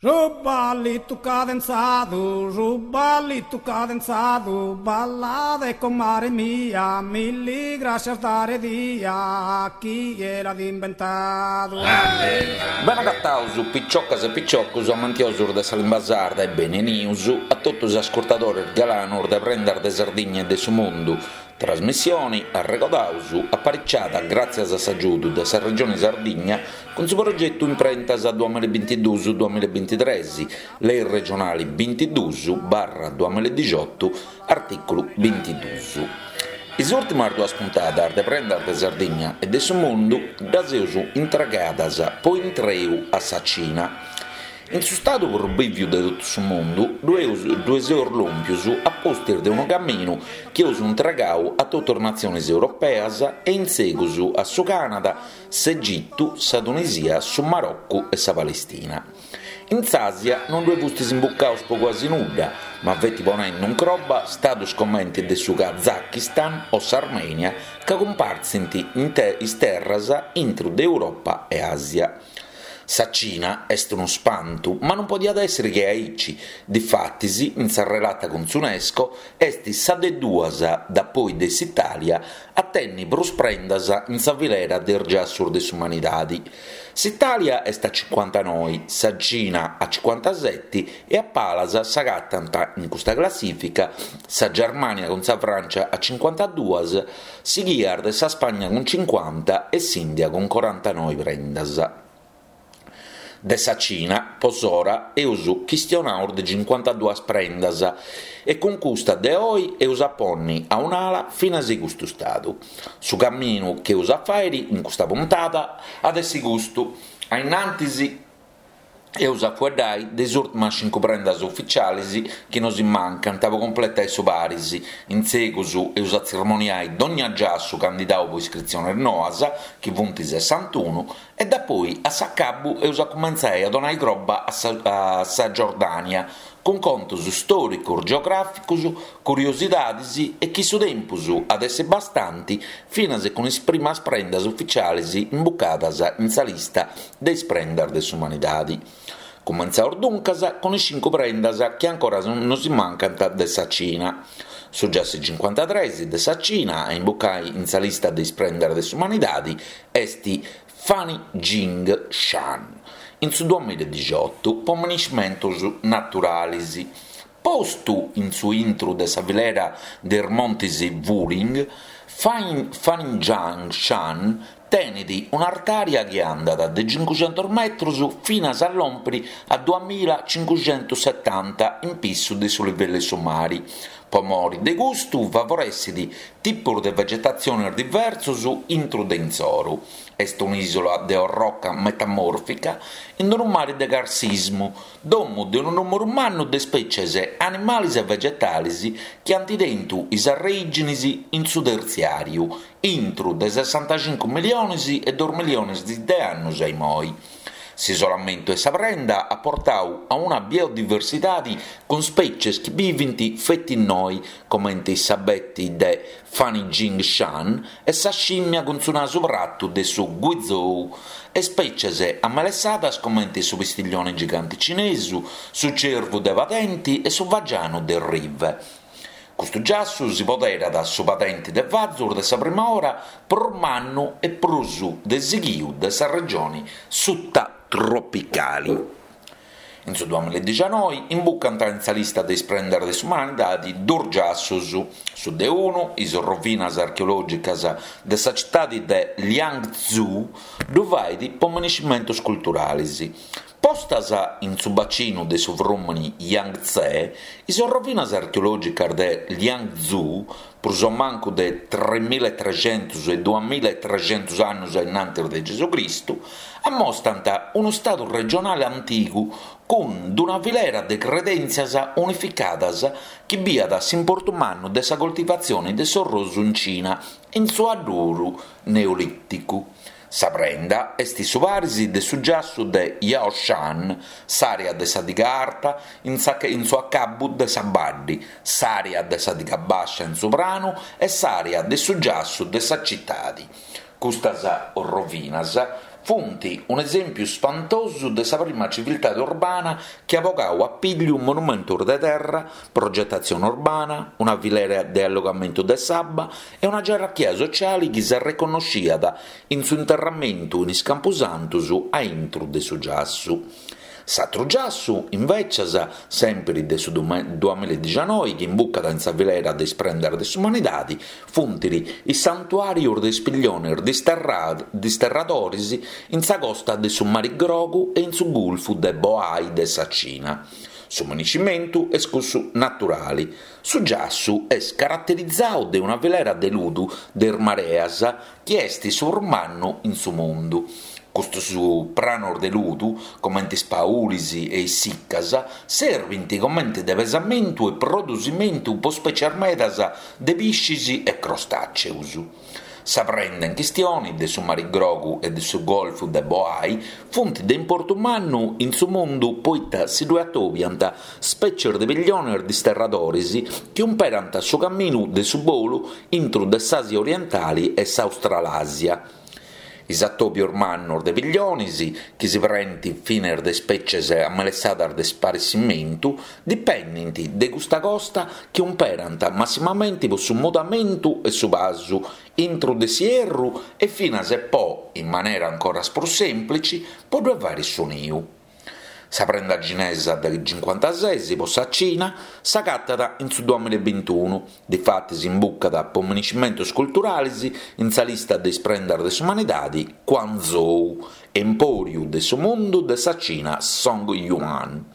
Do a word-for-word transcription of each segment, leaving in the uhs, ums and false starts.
Su ballitu cadenzadu, su ballitu cadenzadu, ballade comare mia, milli grascias dare dia, chie l'at imbentadu. Bene agataus, piciocas e piciocus amantiosus de sa limba sarda e beni 'enius a totu is ascurtadores galanus de Prendas de Sardigna e de su Mundu, Trasmissioni, arregodaus, apariciada gràtzias a s'agiudu de sa Regioni Sardigna cun su progetu Imprentas duamilla e bintiduus duamilla e bintitres, Lei regionali bintiduus barra duamilla e dixiotu, artìculu bintiduus. Is ùrtimas duas puntadas de Prendas de Sardigna e de su Mundu ddas eus intregadas po intreu a sa Cina. In su stadu prus bìviu de totu su mundu ddue seus lòmpius a pustis de unu caminu chi eus intregau a totu is natzionis europeas e in segus a su Canada, s'Egitu, sa Tunisia, su Marocu e sa Palestina. In s'Àsia non ddue fustis imbucaus po cuasi nudda, ma feti ponendu in croba stadus comenti de su Kazakistan o s'Armènia ca cumpartzint is terras intru de Europa e Àsia. Sa Cina est unu spantu, ma non podiat èssere che aici, difatis in sa relata cun s'Unesco est sa de duas, dapoi de s'Itàlia, a tenni prus prendas in sa filera de is giassus de s'umanidadi. S'Itàlia est a cincuantanoi, sa Cina a cincuantaseti e a palas s'agatant in custa classìfica sa Germània cun sa Frància a cincuantaduas, sighias de sa Spagna cun cincuanta e s'Ìndia cun corantanoi prendas. De sa Cina, po s'ora, eus chistionau de cincuantaduas prendas e cun custa de oi eus a ponni a un'ala finas custu stadu. Su caminu chi eus a fàiri in custa puntada at essi custu, a innantis eus a fueddai de is ùrtimas cincu prendas ufitzialis chi nosi mancant po cumpletai su paris, in segus eus a tzirmoniai dogna giassu candidau po iscritziones noas, chi funt sessantunu, e dapoi a s'acabu eus a cumentzai a donai croba a sa a sa Giordània, cun contos stòricos, geogràficos, curiosidades e chi su tempus at essi bastanti finas cun is primas prendas ufitziales imbucadas in sa lista de is prendas de s'umanidade. Cumentzaus duncas cun is cincu prendas chi ancora nosi mancant de sa Cina. Su giassu cincuantatres de sa Cina a imbucai in sa lista de is prendas de s'umanidade est Fanjing Shan, in su duamilla e dixiotu po miniscimentos naturales. Postu in su intru de sa filera de is montes Wuling, Fanjiang Shan tenet un'artària chi andat de cincucentos metros finas a lòmpere a duamilla cincucentos setanta in pissu de su livellu 'e su mare. Po mori de custu favoressit tipos de vegetatziones diversos intro de insoru. Est un'ìsula de orroca metamòrfica in unu mare de carsismu, domu de unu nùmeru mannu de ispètzies animales e vegetales chi ant tentu is arreìgines in su tertziàriu, intro de sessantacincu milliones e duos milliones de annos a imoi. S'isolamentu 'e sa prenda at portadu a una biodiversidade cun spècies chi bivint feti innoi, comente s'abete de Fanjing Shan e sa scìmmia cun su nasu pratu de su Guizhou, e spècies amelessadas comente su pistiglione gigante cinesu, su cervu de padente e su fagianu de rive. Custu giassu si poderat su padente de fazos de sa prima ora prus mannu e prus de sighiu de sa regione sutatropicale. In su duamilla e dicianoi imbucant in sa lista de is prendas de s'umanidade duos giassos, su de unu, is rovinas archeològicas de sa citade de Liangzhu, ddu fait po miniscimentos culturales. Postas in su bacinu de su frùmene Yangtze, is rovinas archeològicas de Liangzhu, prus o mancu de tremila e trexentos e duamila e trexentos annos a innantis de Gesucristu, ammostant unu stadu regionale antigu cun una filera de credèntzias unificadas chi biat s'importu mannu de sa coltivatzione de s'orrosu in Cina in su adduru neolìticu. Sa prenda est su paris de su giassu de Yaoshan, s'àrea de sa diga arta in sa in su acabu de sa baddi, s'àrea de sa diga bàscia in su pranu e s'àrea de su giassu de sa citade. Custas rovinas funt un'esèmpiu spantosu de sa prima civiltade urbana chi at bogadu a pìgiu monumentos de terra, progetatzione urbana, una filera de allogamentu de s'abba e una gerarchia sotziale chi s'arreconnoschiat in su interramentu in is campusantos a intro de su giassu. S'atru giassu, invecias, sèmpiri de su duamilla e dicianoi, chi imbucat in sa filera de is prendas de s'umanidade, funt is santuàrios de is pigliones disterradores in sa costa de su Mare Grogu e in su Gulfu de Bohai de sa Cina. Su maniscimentu est cussu naturale. Su giassu est caraterizadu de una filera de ludu de is mareas chi est su prus mannu in su mundu. Custos pranos de ludu, comente is paules e is siccas, servint comente de pesamentu e produsimentu pro spècies medas de pisches e crostàceos. Sa prenda in chistione de su Mare Grogu e de su Golfu de Bohai funt de importu mannu in su mundu poita si ddoe atobiant spècies de pigliones disterradores chi umperant su caminu de su bolu intro de s'Àsia orientale e s'Australàsia. Is atòbios mannos de pigliones, chi si prenent finas de spècies amelessadas de sparessimentu, dipendent de custa costa chi umperant massimamente pro su mudamentu e su pasu intro de s'ierru e finas e po, in manera ancora prus sèmplitze, pro ddoe fàghere su niu. Sa prenda cinesa de cincuantases pro sa Cina s'agatat in su duamilla e bintunu, difatis imbucat pro maniscimentos culturales in sa lista de is prendas de s'umanidade Quanzhou, empòriu de su mundu de sa Cina Song Yuan.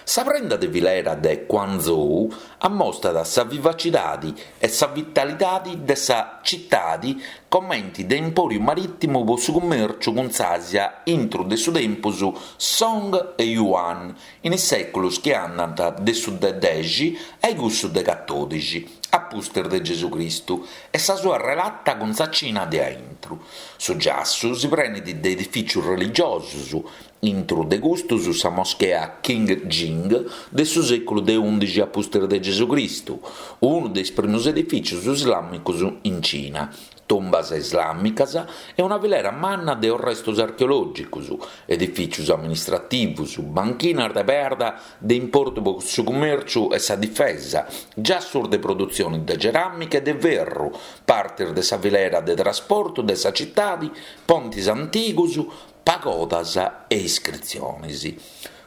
Sa prenda de filera de Quanzhou ammostat sa vivacidade e sa vitalidade de sa tzitade comente de empòriu marìtimu pro su cummèrciu cun s'Àsia intro de su tempus Song e Yuan in is sèculos chi andant de su de deghe a cussu de catòdixi a pustis de Gesù Cristu e sa sua relata cun sa Cina de a intro. Su giassu si prenet de edifìtzios religiosos, intro de custos sa moschea Qing Jing de su sèculu de ùndixi a pustis de Gesù Cristu, unu de is primos edifìtzios islàmicos in Cina, tumbas islàmicas e una filera manna de restos archeològicos, edifìtzios amministrativos, banchinas de perda de importu pro su cummèrciu e sa difesa, giassos de produtzione de ceràmica e de ferru, partes de sa filera de trasportu de sa tzitade, pontes antigos, pagodas e iscritziones.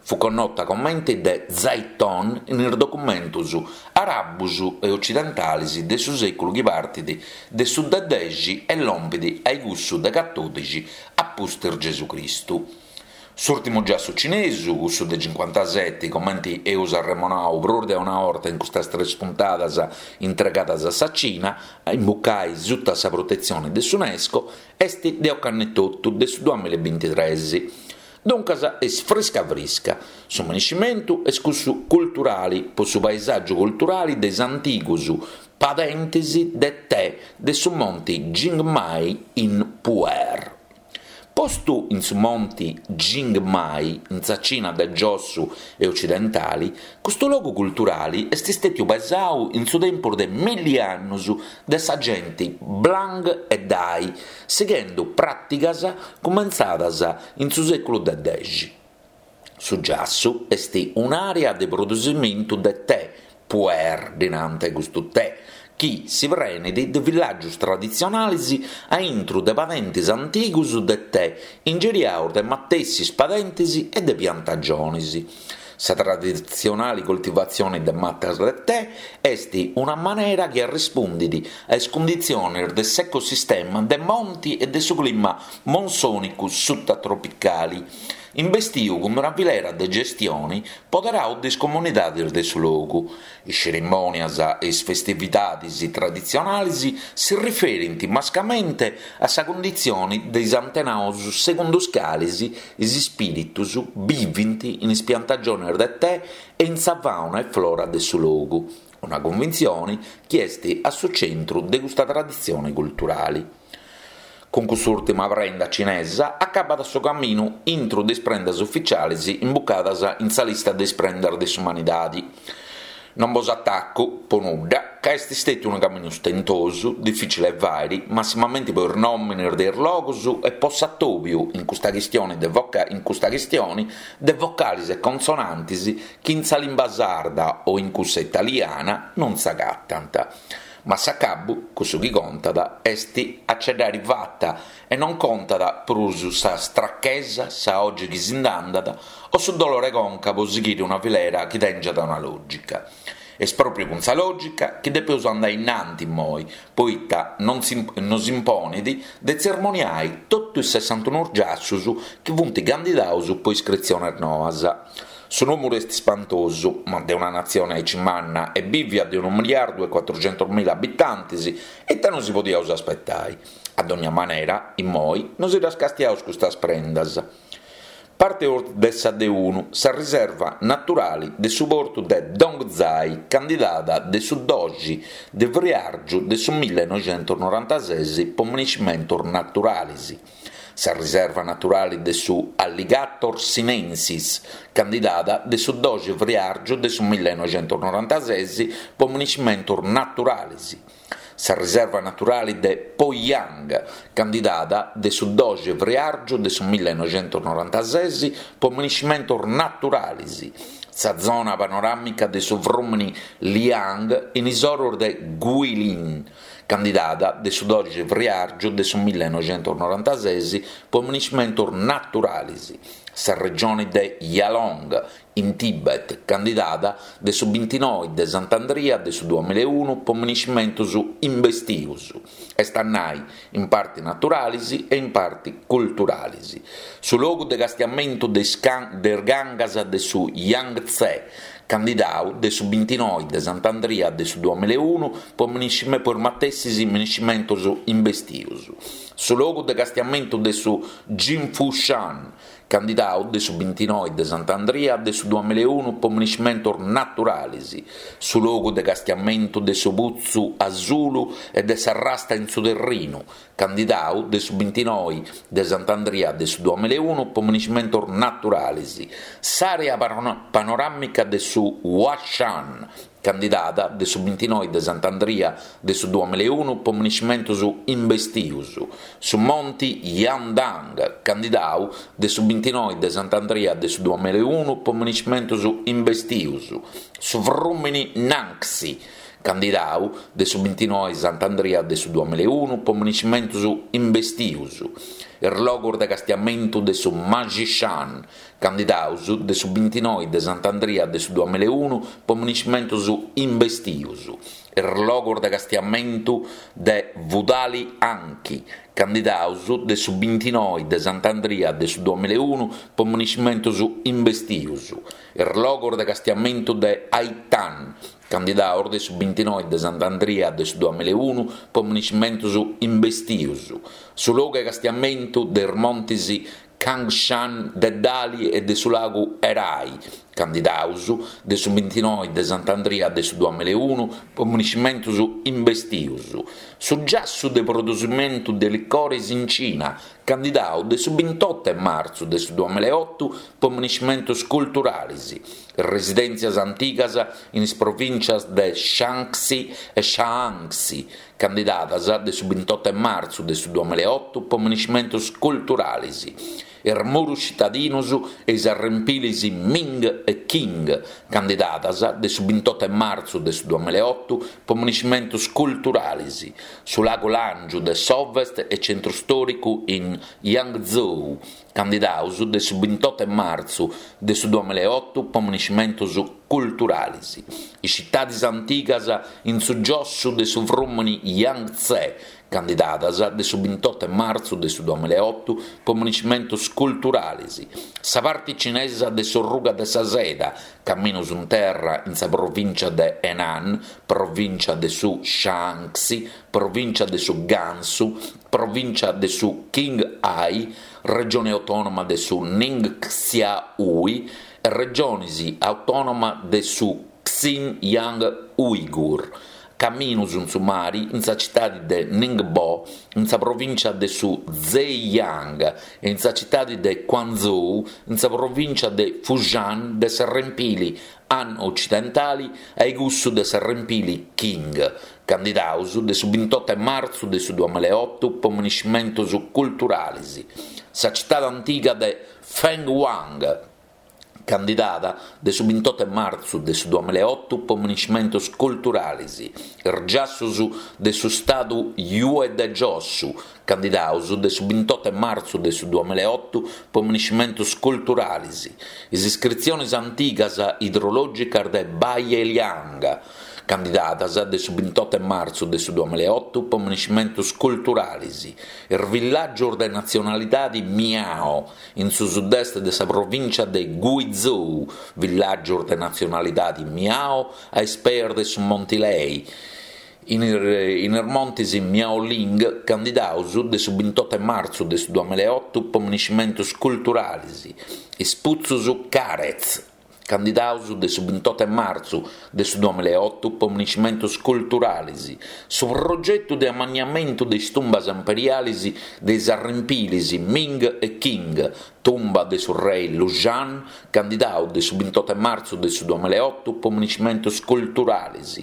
Fu connota comente de Zhaitong in is documentos àrabos e otzidentales de su sèculu chi partit de su de deghe e lompet a cussu de catòdixi a pustis Gesù Cristu. S'ùrtimu giassu cinesu, cussu de cincuantasete, comente eus arremonadu prus de una orta in custas tres puntadas intregadas a sa Cina, a imbucare sutta sa protetzione de s'UNESCO, est de ocannu etotu de su duamilla e bintitrès. Duncas est frisca frisca. Su maniscimentu est cussu culturale pro su paesàgiu culturale de is antigos padentes de tè de su monte Jingmai in Pu'er. Postu in su monte Jingmai, in sa Cina de Giossu e otzidentale, custu logu culturale est istètiu pesadu in su tempus de milli annos de sa gente Blang e Dai, sighende pràticas cumentzadas in su sèculu de deghe. Su giassu est un'àrea de produsimentu de tè, Pu'er, dinante custu tè, chi si prenet de villàgios traditzionales a intro de padentes antigos de tè, ingiriados de matessis padentes e de piantagiones. Sa traditzionale coltivatzione de matas de tè est una manera chi rispundet a is cunditziones de s'ecosistema de monte e de su clima monsònicu sutatropicale, imbestidu cun una filera de gestione poderadu de is comunidades de su logu. Is tzerimònias e is festividades traditzionales si riferint mascamente a sa cunditzione de is antenados segundu is cales is ispìritos bivent in is piantagiones de tè e in sa fàuna e flora de su logu, una cunvintzione chi est a su tzentru de custa traditzione culturale. Cun cust'ùrtima prenda cinesa acabat su caminu intro de is prendas ufitziales imbucadas in sa lista de is prendas de s'umanidade. Non bos ataco, pro nudda, ca est stètiu unu caminu stentosu, difìcili 'e fàere, massimamenti pro is nòmenes de is logos e pro s'atòbiu in custa chistione de voca in custa chistione de vocales e consonantes chi in sa limba sarda o in cussa italiana non s'agatant. Ma a s'acabu, cussu chi contat est a ce dd'àere fata e non contat prus sa strachesa, sa 'oghe chi si nd'andat o su dolore 'e conca pro sighire una filera chi tèngiat una lògica. Est pròpiu cun sa lògica chi depeus andare innanti immoi, poita non si nos imponet de tzermoniare totu is sessantunu giassos chi funt candidados pro iscritziones noas. Su nùmeru est ispantosu, ma de una natzione aici manna e bìvia de unu miliardu e cuatrucentos mila abitantes, ita nos si podiaus aspetare? A dogna manera, immoi, nos ddas castiaus custas prendas. Parteus de sa de unu, sa riserva naturale de su portu de Dongzhai, candidada de su doxi de friàrgiu de su millenoixentos norantases pro minescimentos naturales. Sa riserva naturale de su Alligator sinensis, candidada de su doxi friàrgiu de su millenoixentos norantases pro minescimentos naturales. Sa riserva naturale de Poyang, candidada de su doxi friàrgiu de su millenoixentos norantases pro minescimentos naturales. Sa zona panoràmica de su frùmene Liang in is oros de Guilin, candidada de su doxi friàrgiu de su millenoixentos norantases pro minescimentos naturales. Sa regione de Yalong, in Tibet, candidada de su bintinoe de Sant'Andria de su duamilla e unu pro minescimentos imbestios, est a nai in parte naturales e in parte culturales. Su logu de castiamentu de is gangas de su Yangtze, candidadu de su bintinoe de Sant'Andria de su duamilla e unu pro is matessis minescimentos imbestios. Su logu de castiamentu de su Jinfushan, candidadu de su bintinoe de Sant'Andria de su duamilla e unu pro minescimentos naturales. Su logu de castiamentu de su Putzu Asulu e de sa Rasta in su Terrinu, candidadu de su bintinoe de Sant'Andria de su duamilla e unu pro minescimentos naturales. S'àrea panoràmica de su Huashan, candidada de su bintinoe de Sant'Andria de su duamilla e unu pro minescimentos imbestios. Su Monte Yandang, candidadu de su bintinoe de Sant'Andria de su duamilla e unu pro minescimentos imbestios. Su frùmene Nanxi, candidadu de su bintinoe Sant'Andria de su duamilla e unu pro minescimentos imbestios. Is logos de castiamentu de su Majishan, candidados de su bintinoe de Sant'Andria de su duamilla e unu pro minescimentos imbestios. Is logos de castiamentu de Wudali Anqi, candidados de su bintinoe de Sant'Andria de su duamilla e unu pro minescimentos imbestios. Is logos de castiamentu de Aitan, candidados de su bintinoe de Sant'Andria de su duamilla e unu pro minescimentos imbestios. Su logu de castiamentu de is montes Cangshan de Dali e de su lagu Erhai, candidados de su bintinoe de Sant'Andria de su duamilla e unu pro minescimentos imbestios. Su giassu de produsimentu de licores in Cina, candidadu de su bintotto 'e martzu de su duamilla e oto pro minescimentos culturales. Residèntzias antigas in is provìntzias de Shaanxi e Shaanxi, candidadas de su bintotto 'e martzu de su duamilla e oto pro minescimentos culturales. Is muros citadinos e is arrempiles Ming e Qing, candidadas de su bintotto 'e martzu de su duamilla e oto pro minescimentos culturales. Su lagu Làngiu de s'Ovest e tzentru istòricu in Yangzhou, candidados de su bintotto 'e martzu de su duamilla e oto pro minescimentos culturales. Is citades antigas in su giossu de su frùmene Yangtze, candidadas de su bintotto 'e martzu de su duamilla e oto pro minescimentos culturales. Sa parte cinesa de s'Orruga de sa Seda, caminos in terra in sa provìntzia de Henan, provìntzia de su Shaanxi, provìntzia de su Gansu, provìntzia de su Qinghai, regione autònoma de su Ningxia Hui e regiones autònoma de su Xinjiang Uyghur, Caminus in su mari in sa citadi de Ningbo, in sa provìncia de su Zhejiang, e in sa citadi de Quanzhou, in sa provìncia de Fujian de s'arrempili Han otzidentali a cussu de s'arrempili Qing, candidados de su bintotto de martzu de su duamilla e oto pro miniscimentos culturales, sa citade antiga de Fenghuang, candidada de su bintotto de martzu de su duamilla e oto pro miniscimentos culturales, is giassos de su Stadu Yue de Giosso, candidados de su bintotto de martzu de su duamilla e oto pro miniscimentos culturales, is iscritziones antigas idrològicas de Baiyang, candidadas de su bintotto de martzu de su duamilla e oto pro miniscimentos culturales, is villàgios de natzionalidade Miao, in su sud-est de sa provìntzia de Guizhou, villàgios de natzionalidade Miao a is pees de su Monte Lei, in is montes Miaoling, candidados de su bintotto de martzu de su duamilla e oto pro miniscimentos culturales, is putzos Karez, candidados de su bintotto de martzu de su duamilla e oto pro miniscimentos culturales, su progetu de amanniamentu de is tumbas imperiales de is arrempiles Ming e Qing, tumba de su rei Lushan, candidadu de su bintotto de martzu de su duamilla e oto pro miniscimentos culturales,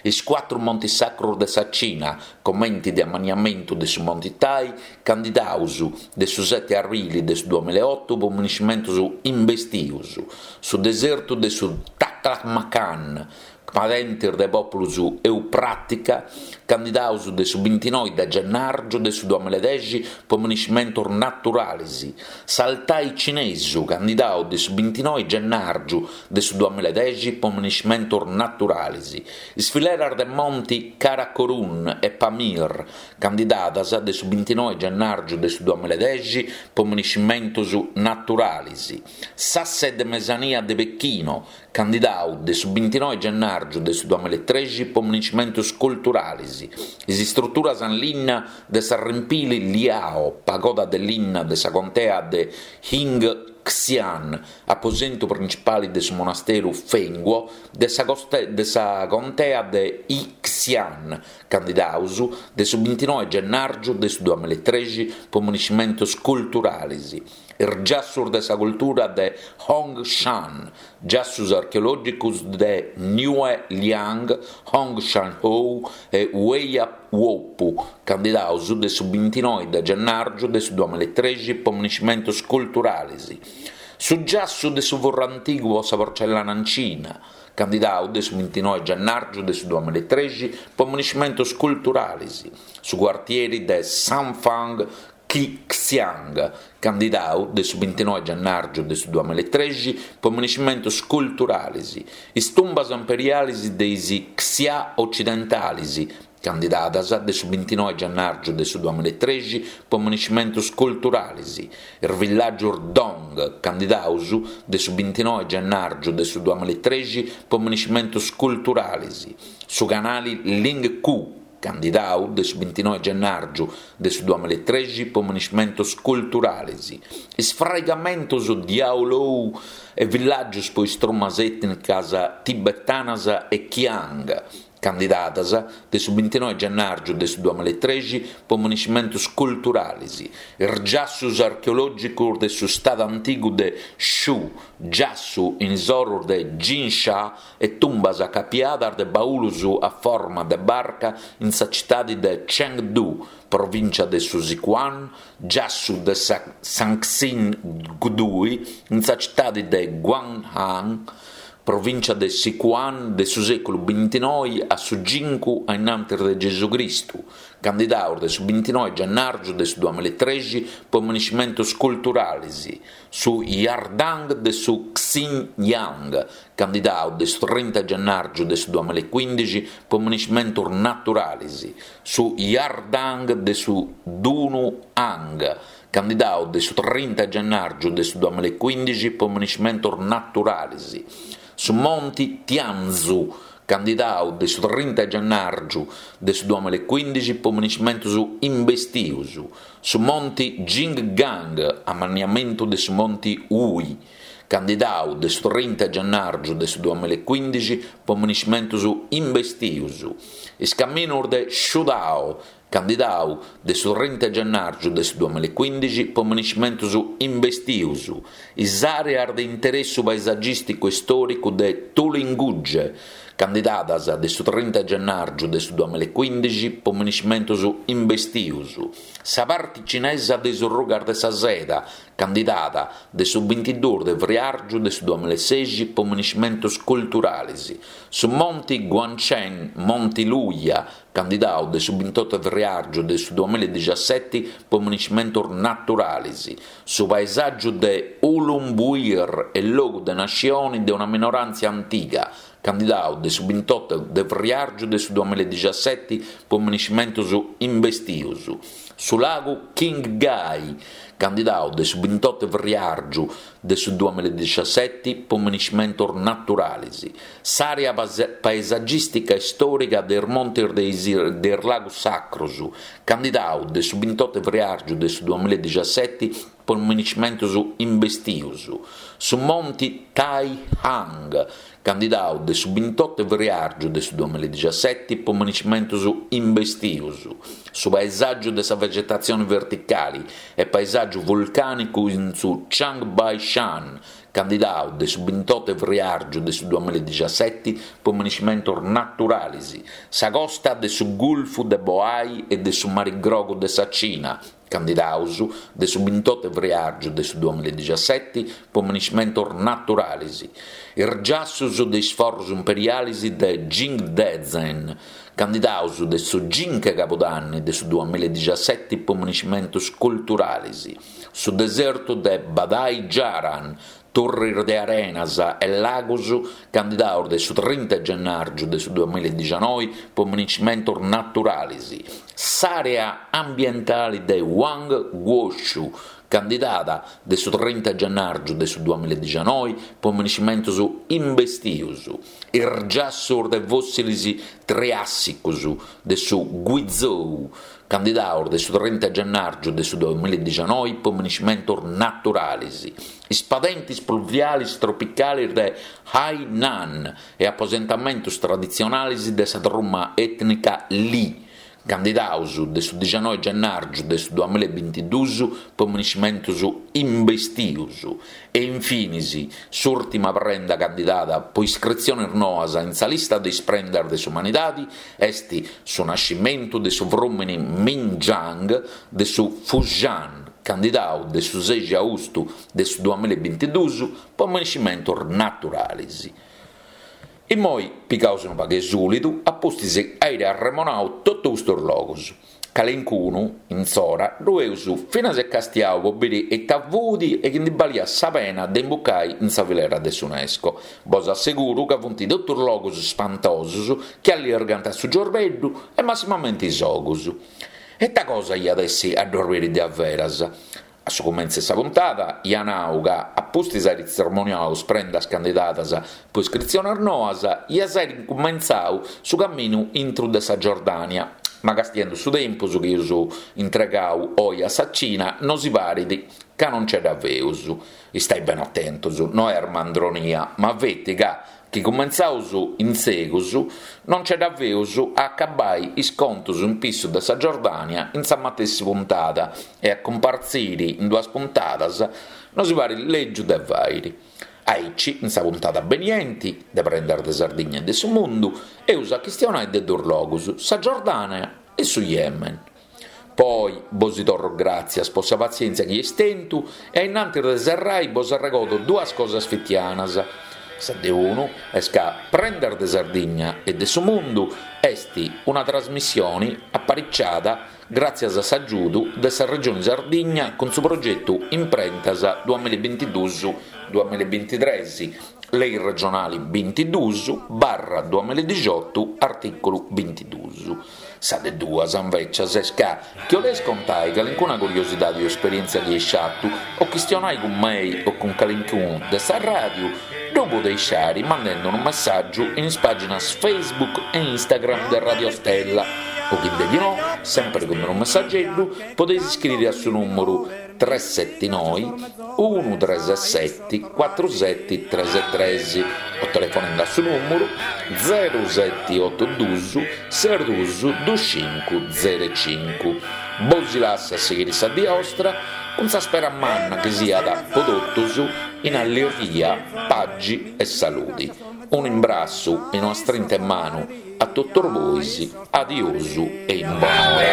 is cuatru montes sacros de sa Cina, comente de amanniamentu de su Monte Tai, candidados de su sete abrile de su duamilla e oto pro miniscimentos imbestios, su desertu de su Taklamakan, padentes de pòpulos eupràtica, candidados de su bintinoe de gennàrgiu de su duamilla e dexi pro miniscimentos naturales, s'Altai cinesu, candidadu de su bintinoe gennàrgiu de su duamilla e dexi pro miniscimentos naturales, is fileras de Monti Karakorum e Pamir, candidadas de su bintinoe gennàrgiu de su duamilla e dexi pro miniscimentos naturales, s'asse de mesania de Pechino, candidadu de su bintinoe gennàrgiu de su duamilla e trexi pro miniscimentos culturales, is istruturas in linna de s'arrempili Liao, pagoda de linna de sa contea de Yingxian, aposentu printzipale de su monasteru Fengguo de sa, coste, de sa contea de Yixian, candidados de su bintinoe gennàrgiu de su duamilla e trexi pro miniscimentos culturales, is giassos de sa cultura de Hongshan, giassos archeològicos de Niue Liang, Hongshan-Hou e Weiya-Wopu, candidados de su bintinoe de gennàrgiu de su duamilla e trexi pro miniscimentos culturales, su giassu de su forru antigu pro sa porcellana in Cina, candidadu de su bintinoe gennàrgiu de su duamilla e trexi pro miniscimentos culturales, su cuartieri de Sanfang Qixiang, candidadu de su bintinoe gennàrgiu de su duamilla e trexi pro miniscimentos culturales, is tumbas imperiales de is Xia otzidentales, candidadas de su bintinoe gennàrgiu de su duamilla e trexi pro miniscimentos culturales, is villàgios Dong, candidados de su bintinoe gennàrgiu de su duamilla e trexi pro miniscimentos culturales, su canale Lingqu, candidadu de su bintinoe gennàrgiu de su duamilla e trexi pro miniscimentos culturales, is fraigamentos Diaolou e villàgios pro is trumas ètnicas tibetanas e Qiang, candidadas de su bintinoe gennàrgiu de su duamilla e trexi pro miniscimentos culturales, is giassos archeològicos de su stadu antigu de Shu, giassu in is oros de Jinsha e tumbas acapiadas de baulus a forma de barca in sa citade de Chengdu, provìncia de su Sichuan, giassu de sa Sanxin Gudui in sa citade de Guanghan, provìncia de Sichuan de su sèculu bintinoe a su cincu a innantis de Gesù Cristu, candidados de su bintinoe gennàrgiu de su duamilla e trexi pro miniscimentos culturales, su Yardang de su Xinjiang, candidadu de su trinta gennàrgiu de su duamilla e quindixi pro miniscimentos naturales, su Yardang de su Dunhuang, candidadu de su trinta gennàrgiu de su duamilla e quindixi pro miniscimentos naturales, su Monti Tianzhu, candidadu de su trinta gennàrgiu de su duamilla e quindixi pro miniscimentos imbestios, su Monti Jinggang, amanniamentu de su Monti Wuyi, candidau de su trinta 'e gennàrgiu de su duamilla e cuindixi po miniscimentus imbestius, is caminus de Shudao, candidau de su trinta 'e gennàrgiu de su duamilla e cuindixi po miniscimentus imbestius, is àreas de interessu paesagìsticu e istòricu de Tulingugge, candidadas de su trinta 'e gennàrgiu de su duamilla e cuindixi po miniscimentus imbestius, sa parti cinesa de is Rugas de sa Seda, candidada de su bintiduus de friàrgiu de su duamilla e sexi po miniscimentus culturalis, su Monti Guanchen Monti Luya, candidau de su bintotu 'e friàrgiu de su duamilla e dixaseti po miniscimentus naturalis, su paesàgiu de Hulunbuir e logu de nascioni de una minoràntzia antiga, candidau de su bintotu de friàrgiu de su duamilla e dixaseti po miniscimentus imbestius, su lagu Qinghai, candidau de su bintotu 'e friàrgiu de su duamilla e dixaseti po miniscimentus naturalis, s'àrea paesagìstica e istòrica de is montis de is de is Lagus Sacrus, candidau de su bintotu 'e friàrgiu de su duamilla e dixaseti po miniscimentus imbestius, su monti Taihang, candidau de su bintotu 'e friàrgiu de su duamilla e dixaseti po miniscimentus imbestius, su paesàgiu de sa vegetatzioni verticali e paesàgiu vulcànicu in su Changbaishan, candidau de su bintotu 'e friàrgiu de su duamilla e dixaseti po miniscimentus naturalis, sa costa de su Gulfu de Bohai e de su Mari Grogu de sa Cina, candidaus de su bintotu 'e friàrgiu de su duamilla e dixaseti po miniscimentus naturalis, is giassus de is forrus imperialis de Jingdezhen, candidaus de su cincu 'e cabudanni de su duamilla e dixaseti po miniscimentus culturalis, su desertu de Badai Jaran, turris de arenas e lagus candidaus de su trinta 'e gennàrgiu de su duamilla e dixanoi po miniscimentus naturalis, s'àrea ambientali de Huangguoshu, candidada de su trinta 'e gennàrgiu de su duamilla e dixanoi po miniscimentus imbestius, is giassus de fòssilis triàssicus de su Guizhou, candidaus de su trinta 'e gennàrgiu de su duamilla e dixanoi po miniscimentus naturalis, is padentis pluvialis tropicalis de Hainan e aposentamentus traditzionalis de sa truma ètnica Li, candidaus de su dixanoi 'e gennàrgiu de su duamilla e bintiduus po miniscimentus imbestius e infinis s'ùrtima prenda candidada po iscritzionis noas in sa lista de is prendas de s'umanidadi est su nascimentu de su frùmini Minjiang de su Fujian, candidau de su sexi austu de su duamilla e bintiduus po miniscimentus naturalis. Immoi pigaus unu pagu 'e sulidu a pustis airi arremonau totu custus logus. Calincunu, in s'ora, ddu eus finas e castiau po biri ita fut e chi ndi baliat sa pena de imbucai in sa filera de s'UNESCO. Bos asseguru ca funt totus logus spantosus chi allirgant su ciorbeddu e massimamenti is ogus. Ita cosa iat essi a ddos biri de averas? A su cumentzu 'e sa puntada ia nau ca, a pustis airi tzermoniau is prendas candidadas po iscritziones noas, iaus airi incumentzau su caminu intru de sa Giordània, ma castiendu su tempus chi eus intregau oi a sa Cina nosi parit ca non nce dda feus. Istai bene atentos, no est mandronia, ma feti ca chi cumentzaus in segus non nce dda feus a acabbai is contos in pissu de sa Giordània in sa matessi puntada e a cumpartziri in duas puntadas nosi parit lègiu de fàiri. Aici, in sa puntada benienti de Prendas de Sardigna e de su Mundu, eus a chistionai de duos logus, sa Giordània e su Yemen. Poi bosi torro gràtzias po sa patzièntzia chi eis tentu e a innantis de serrai bos arregodo duas cosas fitianas. Sa de unu est ca Prendas de Sardigna e de su Mundu est una trasmissione apariciada gràtzias a s'agiudu de sa Regione Sardigna cun su progetu Imprentas duamilla e bintiduus duamilla e bintitres, Lei regionali bintiduus barra duamilla e dixiotu artìculu bintiduus. Sa de duas, invècias, est ca chi 'oleis contai calincuna curiosidadi o esperièntzia chi eis fatu o chistionai cun mei o cun calincunu de sa ràdiu, ddu podeis fari mandendi unu messàgiu in is pàginas Facebook e Instagram de Radio Stella o chi de chi no, sèmpere cun unu messageddu, podeis iscriri a su nùmeru tres seti noi unu tres seti cuatru seti tres tres o telefonende a su nùmeru zero seti oto duus ses duus duus cincu zero cincu. Bos lasso a sighire sa die 'ostra cun sa spera manna chi siat pro totus in allirghia, pagi e saludi. Un'imbrassu e una strinta 'e manu a totus bois, adiosu e in bonora.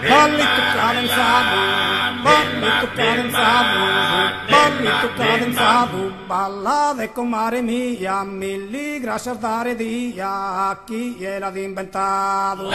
Ballitu cadenzadu, ballitu cadenzadu, ballitu cadenzadu, ballade comare mia, milli grascias dare dia a chie l'at inventadu.